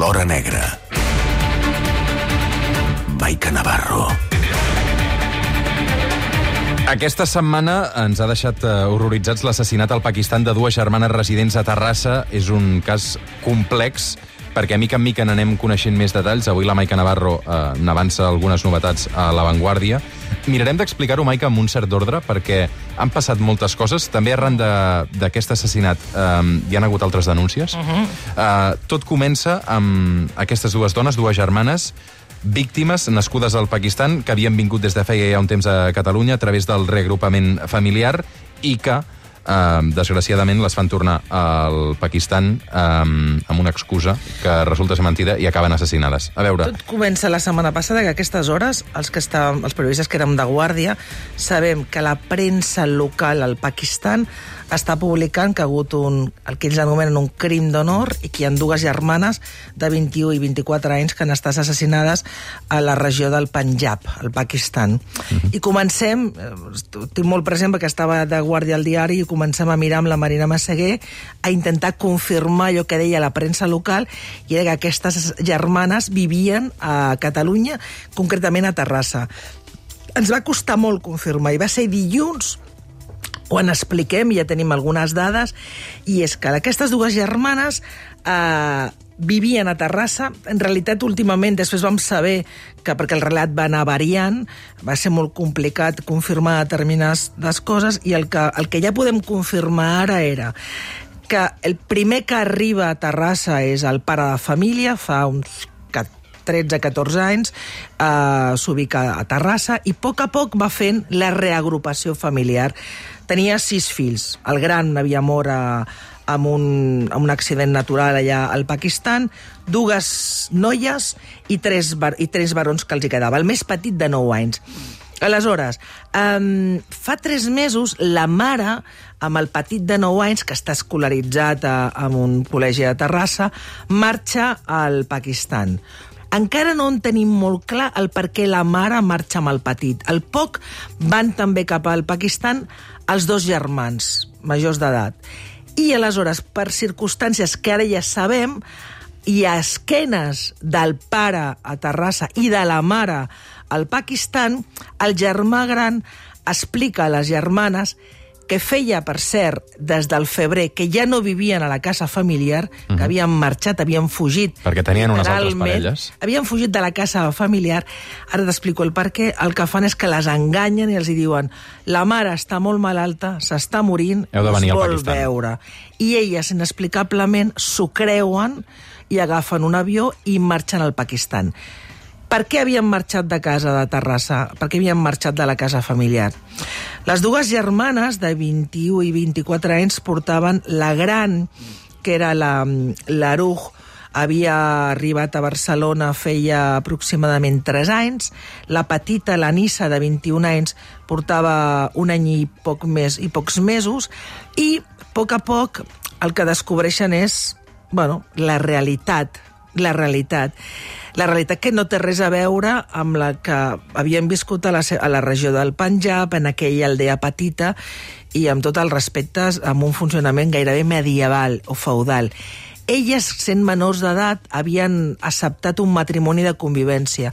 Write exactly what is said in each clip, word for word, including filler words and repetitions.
l'hora negra. Maica Navarro. Aquesta setmana ens ha deixat horroritzats l'assassinat al Pakistan de dues germanes residents a Terrassa. És un cas complex, perquè a mica en mica n'anem coneixent més detalls. Avui la Maica Navarro eh, n'avança algunes novetats a l'avantguàrdia. Mirarem d'explicar-ho, Maica, amb un cert ordre, perquè han passat moltes coses. També arran d'aquest assassinat eh, hi han hagut altres denúncies. Uh -huh. eh, tot comença amb aquestes dues dones, dues germanes, víctimes nascudes al Pakistan, que havien vingut des de feia ja un temps a Catalunya a través del reagrupament familiar i que, eh, desgraciadament, les fan tornar al Pakistan eh, amb una excusa que resulta ser mentida i acaben assassinades. A veure... Tot comença la setmana passada, que a aquestes hores, els, que estàvem, els periodistes que érem de guàrdia, sabem que la premsa local al Pakistan està publicant que ha hagut un, el que ells anomenen un crim d'honor i que hi ha dues germanes de vint-i-u i vint-i-quatre anys que han estat assassinades a la regió del Panjab, al Pakistan. Uh-huh. I comencem, eh, tinc molt present perquè estava de guàrdia al diari, i comencem a mirar amb la Marina Massaguer a intentar confirmar allò que deia la premsa local, i era que aquestes germanes vivien a Catalunya, concretament a Terrassa. Ens va costar molt confirmar, i va ser dilluns quan expliquem, ja tenim algunes dades, i és que aquestes dues germanes eh, vivien a Terrassa. En realitat, últimament, després vam saber que, perquè el relat va anar variant, va ser molt complicat confirmar determinades coses, i el que, el que ja podem confirmar ara era que el primer que arriba a Terrassa és el pare de família, fa uns tretze a catorze anys, eh, s'ubica a Terrassa, i a poc a poc va fent la reagrupació familiar. Tenia sis fills. El gran havia mort a, amb, un, amb un accident natural allà al Pakistan, dues noies i tres, bar, i tres barons que els hi quedava. El més petit de nou anys. Aleshores, um, fa tres mesos, la mare, amb el petit de nou anys, que està escolaritzat a, a un col·legi de Terrassa, marxa al Pakistan. Encara no en tenim molt clar el per què la mare marxa amb el petit. Al poc van també cap al Pakistan els dos germans, majors d'edat. I aleshores, per circumstàncies que ara ja sabem, i a esquenes del pare a Terrassa i de la mare al Pakistan, el germà gran explica a les germanes que feia, per cert, des del febrer, que ja no vivien a la casa familiar, que havien marxat, havien fugit. Perquè tenien unes altres parelles. Havien fugit de la casa familiar. Ara t'explico el per què. El que fan és que les enganyen i els hi diuen: la mare està molt malalta, s'està morint, heu de venir us al vol Pakistan. veure. I elles, inexplicablement, s'ho creuen i agafen un avió i marxen al Pakistan. Per què havien marxat de casa de Terrassa? Per què havien marxat de la casa familiar? Les dues germanes de vint-i-u i vint-i-quatre anys portaven la gran, que era la, l'Aruj, havia arribat a Barcelona feia aproximadament tres anys. La petita, la Nissa, de vint-i-un anys, portava un any i poc més i pocs mesos, i a poc a poc el que descobreixen és, bueno, la realitat, la realitat. La realitat que no té res a veure amb la que havien viscut a la, a la regió del Panjab, en aquella aldea petita, i amb tot el respecte, amb un funcionament gairebé medieval o feudal. Elles, sent menors d'edat, havien acceptat un matrimoni de convivència,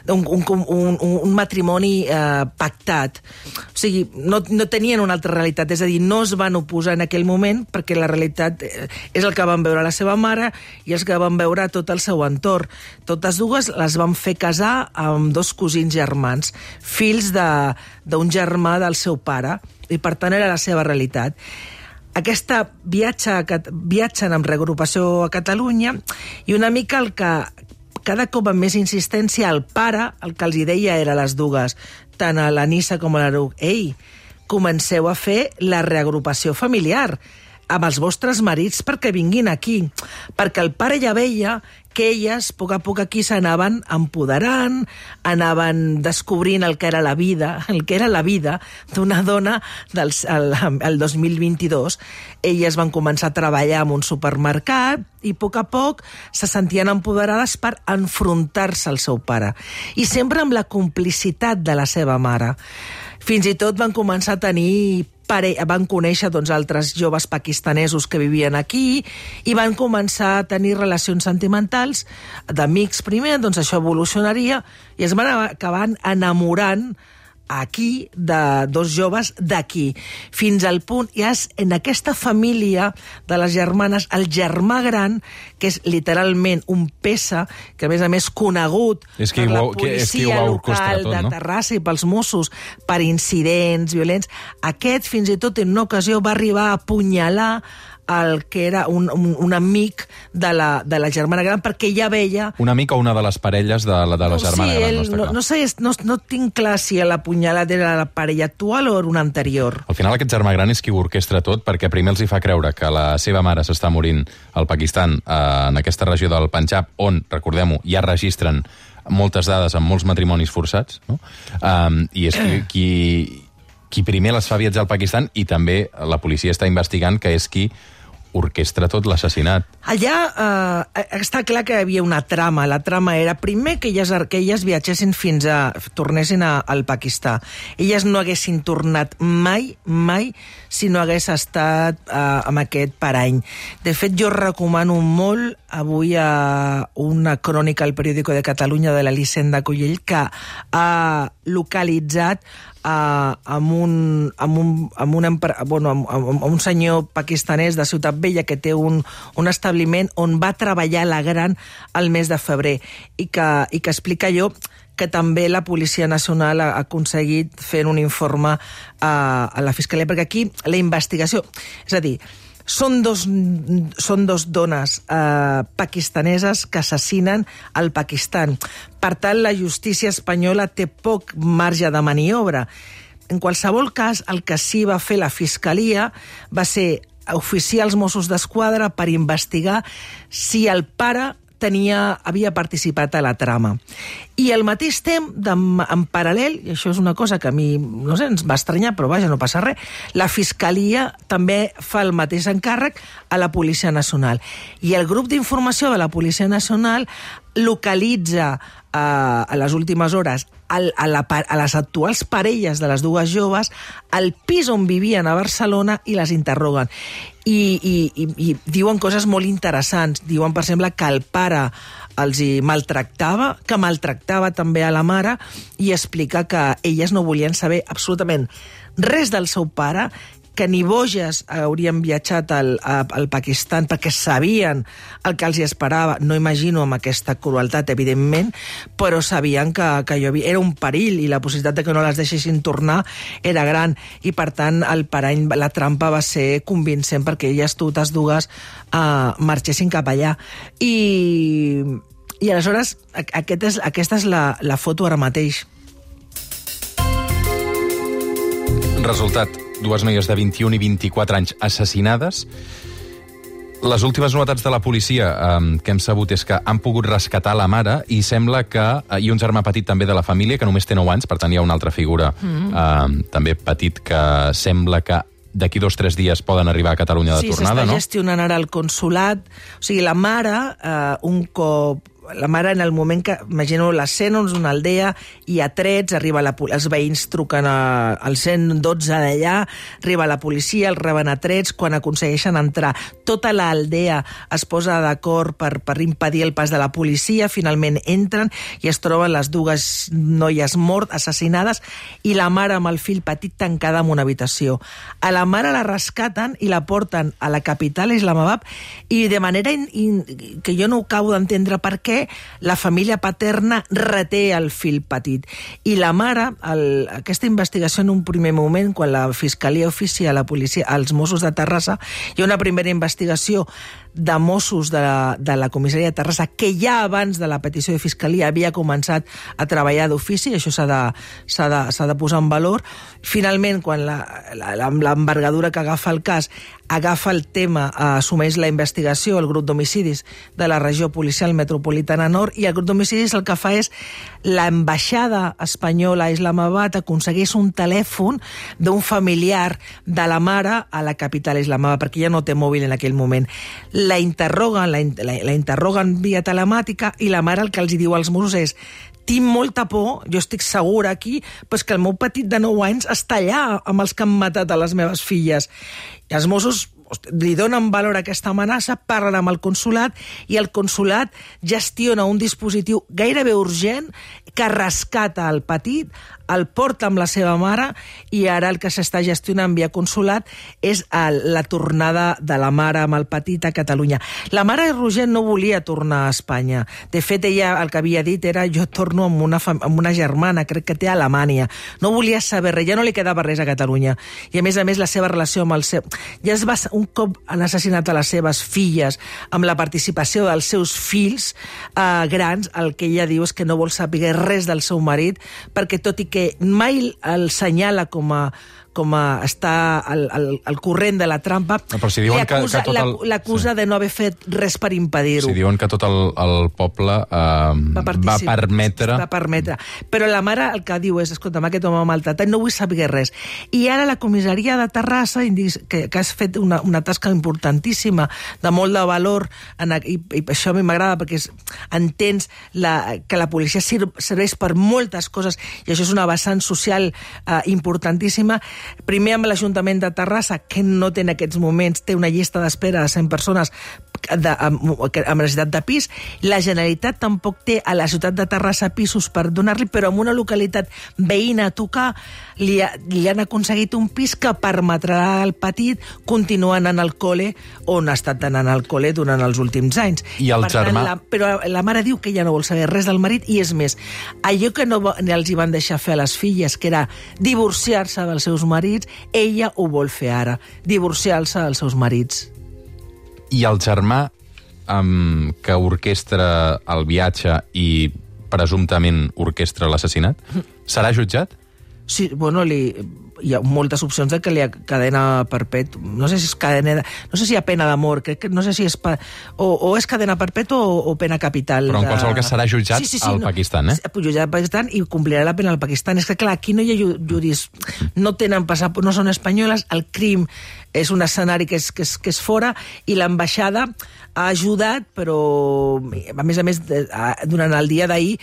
un, un, un, un matrimoni eh, pactat. O sigui, no, no tenien una altra realitat, és a dir, no es van oposar en aquell moment, perquè la realitat és el que van veure la seva mare i els que van veure tot el seu entorn. Totes dues les van fer casar amb dos cosins germans, fills de, d'un germà del seu pare, i per tant era la seva realitat. Aquesta viatge, viatgen amb reagrupació a Catalunya, i una mica el que cada cop amb més insistència el pare, el que els hi deia era a les dues, tant a la Nissa com a l'Aruj: ei, comenceu a fer la reagrupació familiar amb els vostres marits perquè vinguin aquí. Perquè el pare ja veia que elles, a poc a poc aquí, s'anaven empoderant, anaven descobrint el que era la vida, el que era la vida d'una dona del el, el dos mil vint-i-dos. Elles van començar a treballar en un supermercat i a poc a poc se sentien empoderades per enfrontar-se al seu pare. I sempre amb la complicitat de la seva mare. Fins i tot van començar a tenir pare... van conèixer doncs, altres joves pakistanesos que vivien aquí i van començar a tenir relacions sentimentals d'amics primer, doncs això evolucionaria i es van acabar enamorant aquí de dos joves d'aquí. Fins al punt, i és en aquesta família de les germanes, el germà gran, que és literalment un pesa, que a més a més conegut és que per la ho, que, policia que local tot, de no? Terrassa i pels Mossos per incidents violents, aquest fins i tot en una ocasió va arribar a apunyalar el que era un, un, un amic de la, de la germana gran, perquè ja veia... Un amic o una de les parelles de la, de la germana sí, gran, ell, no està no, clar. no, sé, no, no tinc clar si l'apunyalat era la parella actual o era una anterior. Al final aquest germà gran és qui ho orquestra tot, perquè primer els hi fa creure que la seva mare s'està morint al Pakistan, eh, en aquesta regió del Panjab, on, recordem-ho, ja registren moltes dades amb molts matrimonis forçats, no? Um, I és qui, qui, qui primer les fa viatjar al Pakistan, i també la policia està investigant que és qui orquestra tot l'assassinat. Allà eh, està clar que hi havia una trama. La trama era, primer, que elles, que elles viatgessin fins a... tornessin a, al Pakistà. Elles no haguessin tornat mai, mai, si no hagués estat eh, amb aquest parany. De fet, jo recomano molt avui a una crònica al Periódico de Catalunya de l'Elisenda Collell, que ha localitzat Uh, amb, un, amb, un, amb, un, bueno, amb, amb un senyor pakistanès de Ciutat Vella que té un, un establiment on va treballar la gran el mes de febrer i que, i que explica allò que també la Policia Nacional ha aconseguit fent un informe uh, a la Fiscalia, perquè aquí la investigació... És a dir, Són dos, són dos dones eh, pakistaneses que assassinen al Pakistan. Per tant, la justícia espanyola té poc marge de maniobra. En qualsevol cas, el que sí va fer la Fiscalia va ser oficiar els Mossos d'Esquadra per investigar si el pare tenia, havia participat a la trama. I al mateix temps, en, en paral·lel, i això és una cosa que a mi, no sé, ens va estranyar, però vaja, no passa res, la Fiscalia també fa el mateix encàrrec a la Policia Nacional. I el grup d'informació de la Policia Nacional localitza eh, a les últimes hores al, a, la, a les actuals parelles de les dues joves al pis on vivien a Barcelona i les interroguen. I, i, i, i diuen coses molt interessants. Diuen, per exemple, que el pare els hi maltractava, que maltractava també a la mare, i explica que elles no volien saber absolutament res del seu pare, que ni boges haurien viatjat al, al Pakistan perquè sabien el que els hi esperava. No imagino amb aquesta crueltat, evidentment, però sabien que, que jo havia, era un perill i la possibilitat de que no les deixessin tornar era gran. I, per tant, el parany, la trampa va ser convincent perquè elles totes dues uh, marxessin cap allà. I, i aleshores, aquest és, aquesta és la, la foto ara mateix. Resultat, dues noies de vint-i-un i vint-i-quatre anys assassinades. Les últimes novetats de la policia eh, que hem sabut és que han pogut rescatar la mare i sembla que... Eh, i un germà petit també de la família, que només té nou anys, per tant hi ha una altra figura mm. eh, també petit que sembla que d'aquí dos o tres dies poden arribar a Catalunya de sí, tornada, no? Sí, s'està gestionant ara el consulat. O sigui, la mare, eh, un cop... La mare, en el moment que... Imagino l'escena, és una aldea, hi ha trets, arriba la, els veïns truquen a, al cent dotze d'allà, arriba la policia, els reben a trets, quan aconsegueixen entrar. Tota l'aldea es posa d'acord per, per impedir el pas de la policia, finalment entren i es troben les dues noies mort, assassinades, i la mare amb el fill petit tancada en una habitació. A la mare la rescaten i la porten a la capital, Islamabad, i de manera in, in, que jo no acabo d'entendre per què, la família paterna reté el fill petit. I la mare, el, aquesta investigació en un primer moment, quan la Fiscalia oficia a la policia, als Mossos de Terrassa, hi ha una primera investigació de Mossos de la, de la comissaria de Terrassa, que ja abans de la petició de Fiscalia havia començat a treballar d'ofici, això s'ha de, s'ha de, s'ha de posar en valor. Finalment, quan l'envergadura que agafa el cas agafa el tema, assumeix la investigació, el grup d'homicidis de la regió policial metropolitana nord, i el grup d'homicidis el que fa és l'ambaixada espanyola a Islamabad aconsegueix un telèfon d'un familiar de la mare a la capital Islamabad, perquè ja no té mòbil en aquell moment. La interroguen, la, la, la interroguen via telemàtica, i la mare el que els diu als Mossos és: tinc molta por, jo estic segura aquí, però és que el meu petit de nou anys està allà amb els que han matat a les meves filles. I els Mossos li donen valor a aquesta amenaça, parlen amb el consulat i el consulat gestiona un dispositiu gairebé urgent que rescata el petit, el porta amb la seva mare i ara el que s'està gestionant via consulat és el, la tornada de la mare amb el petit a Catalunya. La mare Roger no volia tornar a Espanya. De fet, ella el que havia dit era jo torno amb una, amb una germana, crec que té a Alemanya. No volia saber res, ja no li quedava res a Catalunya. I a més a més la seva relació amb el seu... Ja es va... Un cop han assassinat a les seves filles amb la participació dels seus fills eh, grans, el que ella diu és que no vol saber res del seu marit, perquè tot i que mai el senyala com a com a està al, al, al corrent de la trampa, no, si l'acusa el... sí. de no haver fet res per impedir-ho. Si diuen que tot el, el poble eh, va, va permetre... Va permetre. Però la mare el que diu és, escolta'm, aquest home maltratat, no vull saber res. I ara la comissaria de Terrassa, que, que has fet una, una tasca importantíssima, de molt de valor, en, i, i això a mi m'agrada, perquè és, entens la, que la policia serveix per moltes coses, i això és una vessant social eh, importantíssima. Primer amb l'Ajuntament de Terrassa, que no té en aquests moments, té una llista d'espera de cent persones de, amb, amb necessitat de pis. La Generalitat tampoc té a la ciutat de Terrassa pisos per donar-li, però en una localitat veïna a tocar li, ha, li han aconseguit un pis que permetrà al petit continuar anant al col·le on ha estat anant al col·le durant els últims anys. I el per germà... Tant, la, però la mare diu que ja no vol saber res del marit, i és més, allò que no els hi van deixar fer a les filles, que era divorciar-se dels seus marits, ella ho vol fer ara, divorciar-se dels seus marits. I el germà um, que orquestra el viatge i presumptament orquestra l'assassinat, serà jutjat? Sí, bueno, li, hi ha moltes opcions de que li ha cadena perpètua. No sé si és cadena... De, no sé si hi ha pena de mort, crec que no sé si és... Pa, o, o és cadena perpètua o, o pena capital. Però en qualsevol cas serà jutjat sí, sí, sí, al no, Pakistan, eh? Jutjat al Pakistan i complirà la pena al Pakistan. És que, clar, aquí no hi ha judis... No tenen passaport, no són espanyoles, el crim és un escenari que és, que és, que és fora, i l'ambaixada ha ajudat, però a més a més, durant el dia d'ahir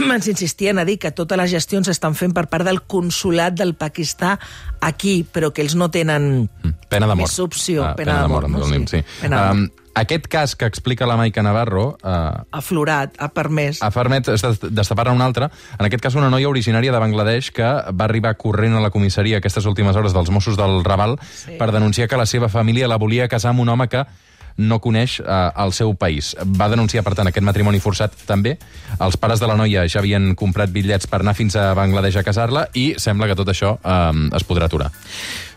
ens insistien a dir que totes les gestions s'estan fent per part del consulat del Pakistan aquí, però que ells no tenen pena de mort. Més opció. Ah, pena, pena de mort, no? Sí. Sí. Pena de mort. Um, aquest cas que explica la Maica Navarro... Uh, ha florat, ha permès... Ha permès destapar-ne un altre. En aquest cas, una noia originària de Bangladesh que va arribar corrent a la comissaria aquestes últimes hores dels Mossos del Raval sí. per denunciar que la seva família la volia casar amb un home que no coneix eh, el seu país. Va denunciar, per tant, aquest matrimoni forçat també. Els pares de la noia ja havien comprat bitllets per anar fins a Bangladesh a casar-la i sembla que tot això eh, es podrà aturar.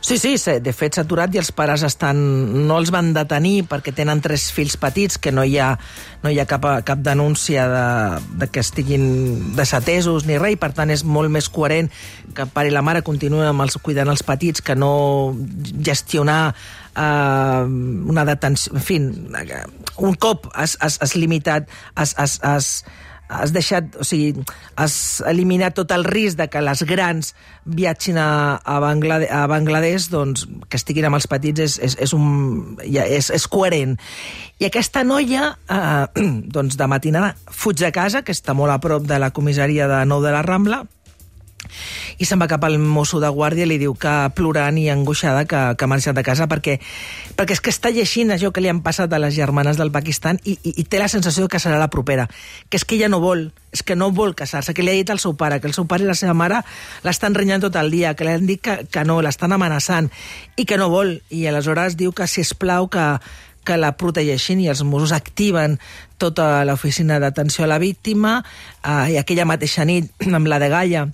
Sí, sí, de fet s'ha aturat i els pares estan... no els van detenir perquè tenen tres fills petits, que no hi ha, no hi ha cap, cap denúncia de, de que estiguin desatesos ni res, i per tant és molt més coherent que el pare i la mare continuen amb els, cuidant els petits, que no gestionar Uh, una detenció, en fi, un cop has, has, has limitat, has, has, has, has deixat, o sigui, has eliminat tot el risc de que les grans viatgin a, a, Banglade, a Bangladesh, doncs que estiguin amb els petits és, és, és, un, ja, és, és coherent. I aquesta noia, uh, doncs de matinada, fuig de casa, que està molt a prop de la comissaria de Nou de la Rambla, i se'n va cap al mosso de guàrdia i li diu que plorant i angoixada que, que ha marxat de casa perquè, perquè és que està llegint això que li han passat a les germanes del Pakistan i, i, i té la sensació que serà la propera, que és que ella no vol, és que no vol casar-se, que li ha dit al seu pare, que el seu pare i la seva mare l'estan renyant tot el dia, que li han dit que, que no, l'estan amenaçant i que no vol, i aleshores diu que sisplau que que la protegeixin, i els Mossos activen tota l'oficina d'atenció a la víctima, eh, i aquella mateixa nit amb la de Gaia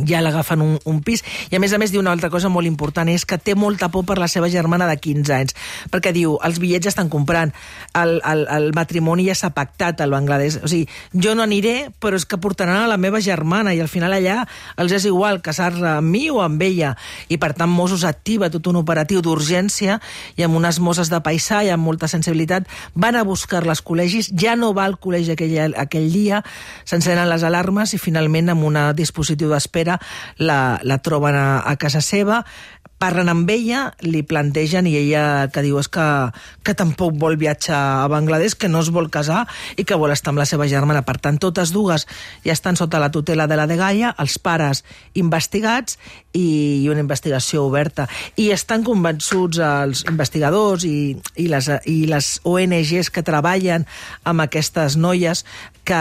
ja l'agafen un, un pis, i a més a més diu una altra cosa molt important, és que té molta por per la seva germana de quinze anys, perquè diu, els bitllets ja estan comprant, el, el, el matrimoni ja s'ha pactat al Bangladesh, o sigui, jo no aniré, però és que portaran a la meva germana, i al final allà els és igual casar-se amb mi o amb ella, i per tant Mossos activa tot un operatiu d'urgència, i amb unes mosses de paisà i amb molta sensibilitat van a buscar les col·legis, ja no va al col·legi aquell, aquell dia, s'encenen les alarmes i finalment amb un dispositiu d'espera La, la troben a, a casa seva, parlen amb ella, li plantegen, i ella que diu és que, que tampoc vol viatjar a Bangladesh, que no es vol casar i que vol estar amb la seva germana. Per tant, totes dues ja estan sota la tutela de la dgaia, els pares investigats i una investigació oberta. I estan convençuts els investigadors i, i, les, i les O N Ges que treballen amb aquestes noies que,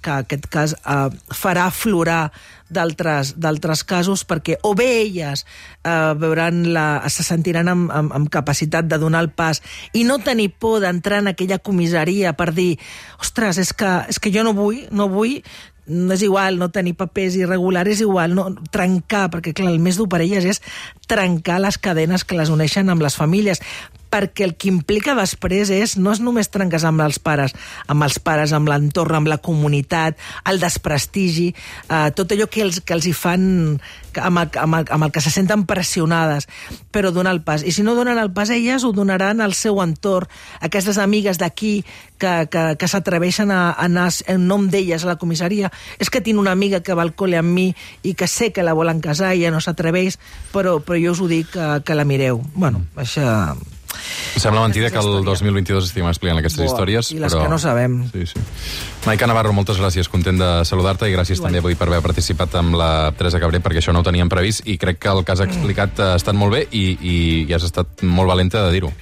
que aquest cas eh, farà aflorar d'altres d'altres casos, perquè o bé elles eh, veuran la, se sentiran amb, amb, amb capacitat de donar el pas i no tenir por d'entrar en aquella comissaria per dir, ostres, és que, és que jo no vull, no vull, no és igual no tenir papers irregulars, és igual no, trencar, perquè clar, el més dur per elles és trencar les cadenes que les uneixen amb les famílies, perquè el que implica després és, no és només trencar amb els pares, amb els pares, amb l'entorn, amb la comunitat, el desprestigi, eh, tot allò que els, que els hi fan, amb el, amb, el, amb el que se senten pressionades, però donar el pas. I si no donen el pas elles, ho donaran al seu entorn, aquestes amigues d'aquí que, que, que s'atreveixen a anar en nom d'elles a la comissaria. És que tinc una amiga que va al col·le amb mi i que sé que la volen casar i ja no s'atreveix, però, però jo us ho dic que, que la mireu. Bueno, això... Sembla mentida que el dos mil vint-i-dos estiguem explicant aquestes Boa, històries, i les però... que no sabem. Sí, sí. Maica Navarro, moltes gràcies, content de saludar-te i gràcies Igual. també avui per haver participat amb la Teresa Cabré, perquè això no ho teníem previst i crec que el que has explicat ha estat molt bé i, i, i has estat molt valenta de dir-ho.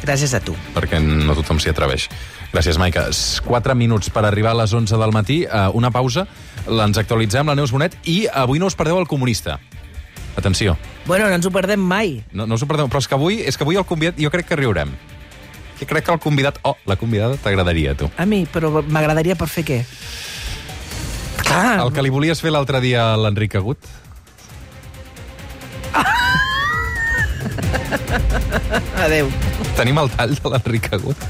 Gràcies a tu. Perquè no tothom s'hi atreveix. Gràcies, Maica. Quatre minuts per arribar a les onze del matí. Una pausa, ens actualitzem la Neus Bonet i avui no us perdeu el Comunista. Atenció. Bueno, no ens ho perdem mai. No, no us ho perdeu, però és que avui, és que avui el convidat, jo crec que riurem. Jo crec que el convidat, oh, la convidada t'agradaria, a tu. A mi, però m'agradaria per fer què? Clar. El que li volies fer l'altre dia a l'Enric Agut. Adéu. Tenim el tall de l'Enric Agut?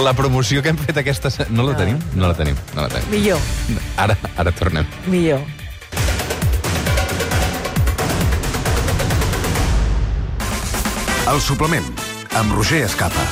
La promoció que hem fet aquesta... No la tenim? No la tenim. No la tenim. Millor. Ara, ara tornem. Millor. El suplement, amb Roger Escapa.